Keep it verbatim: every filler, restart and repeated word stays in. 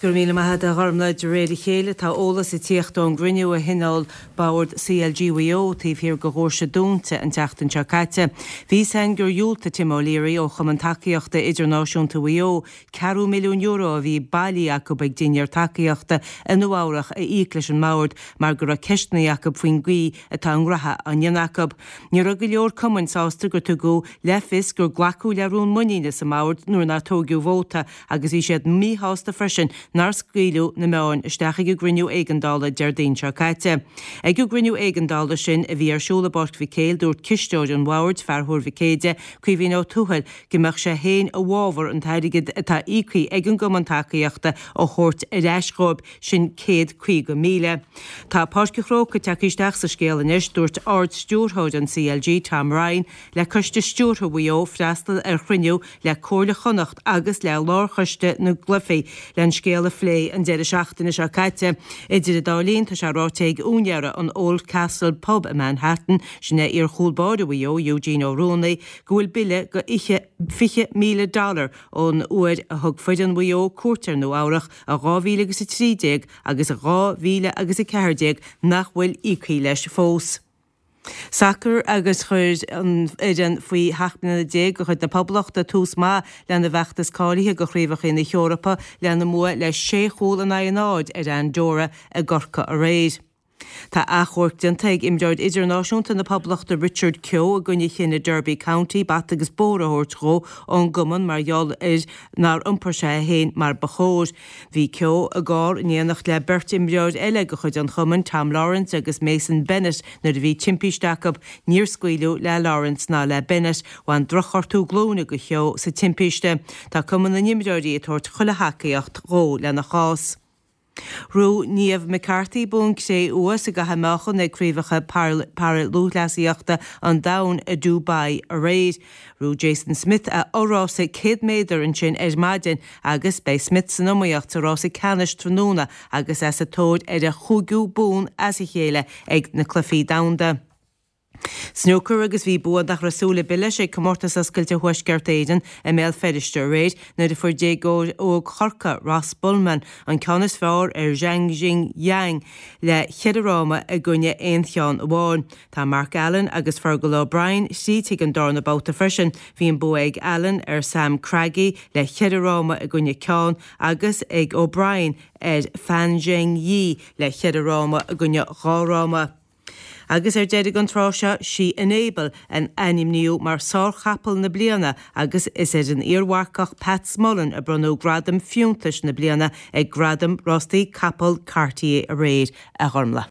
Go raibh míle maith agat a Ghormlaith. De réir a chéile tá eolas ag tíocht ón gcruinniú a thionóil Bord CLG Mhaigh Eo taobh thiar de dhoirse dúnta an tseachtain seo caite. Bhí a fhios againn gur dhiúltaigh Tim O'Leary ó Chumann Tacaíochta Idirnáisiúnta Mhaigh Eo ceathrú milliún euro a bhí bailithe acu ag dinnéar tacaíochta i Nua Eabhrach a íoc leis an mbord mar go raibh ceisteanna acu faoin gcaoi atá a ngraithe á ndéanamh acu. Ní raibh go leor cumainn sásta gur tugadh le fios gur glacadh le rún muiníne sa mbord nuair nár tógadh vóta agus bhí siad míshásta freisin nár scaoileadh na meáin isteach ag an gcruinniú éigeandála Déardaoin seo caite. Ag an gcruinniú éigeandála sin a bhí ar siúl i bPáirc Mhic Éil dúirt cisteoir an bhoird fear Thuar Mhic Éide, Caoimhín Ó Tuathail, go mbeadh sé féin i bhfabhar an t-airgead atá íoctha ag an gcumann tacaíochta a thabhairt ar ais dhóibh, sin céad caoga míle. Tá Páirc an Chrócaigh tagtha isteach sa scéal anois, dúirt Ard-Stiúrthóir an CLG, Tom Ryan, le Coiste Stiúrtha Mhaigh Eo freastal ar chruinniú le Comhairle Chonnacht agus le Lárchoiste na gCluichí le an scéal a phlé an deireadh seachtaine seo caite. Idir an dá linn, tá sé ráite ag úinéara an Old Castle Pub i Manhattan, sin é iar-chúl báire Mhaigh Eo, Eugene Ó Ruanaí, go bhfuil bille go fiche míle dollar ón uair a thug foireann Mhaigh Eo cuairt ar Nua Eabhrach i dhá mhíle agus a trí déag agus i dhá mhíle agus a ceathair déag nach bhfuil íoctha leis fós. Sacar agus chuir an fhoireann faoi sheacht mbliana déag de chuid na Poblachta tús maith lena bhfeachtas cáilithe do Chraobhacha na hEorpa lena mbua le sé chúl in aghaidh a náid ar Andorra i gCorcaigh aréir. Tá achomharc déanta ag imreoir idirnáisiúnta na Poblachta Richard Keogh i gcoinne chinneadh Derby County bata agus bóthar a thabhairt dhó ón gcumann mar gheall ar nár iompair sé é féin mar ba chóir. Bhí Keogh i gcarr in éineacht le beirt imreoir eile de chuid an chumainn, Tom Lawrence agus Mason Bennett, nuair a bhí timpiste acu. Níor scaoileadh le Lawrence ná le Bennett. Bhain drochghortú glúine do Keogh sa timpiste. Tá Cumann na nImreoirí ag tabhairt chuile thacaíocht dhó lena chás. Ghnóthaigh Niamh McCarthy bonn cré-umha sa gcaitheamh meáchan ag Craobhacha Para-Lúthchleasaíochta an Domhain i Dubai aréir. Ghnóthaigh Jason Smith a fho-rása céad méadar ansin ar maidin agus beidh Smith san iomaíocht sa rása ceannais tráthnóna agus é sa tóir ar a chúigiú bonn as a chéile ag na Cluichí Domhanda. Snúcar agus bhí bua nach raibh súil ar bith leis ag Comórtas Oscailte Thuaisceart Éireann i mBéal Feirste aréir nuair a fuair déagóir óg Chorcaí, Ross Bulman, an ceann is fearr ar Zhang Jing Yang le ceithre fhráma i gcoinne aon cheann amháin. Tá Mark Allen agus Fergal O'Brien tríd chuig an darna babhta freisin. Bhí an bua ag Allen ar Sam Craigie le ceithre fhráma i gcoinne ceann agus ag O'Brien ar Fan Zheng Yi le ceithre fhráma i gcoinne dhá fhráma. Agus ar deireadh an tráth seo, sí Enable a ainmníodh mar sár-chapall na bliana agus is ar an iar-mharcach Pat Smullen a bronnadh gradam fiúntais na bliana ag Gradaim Rástaí Capall Cartier aréir, a Ghormlaith.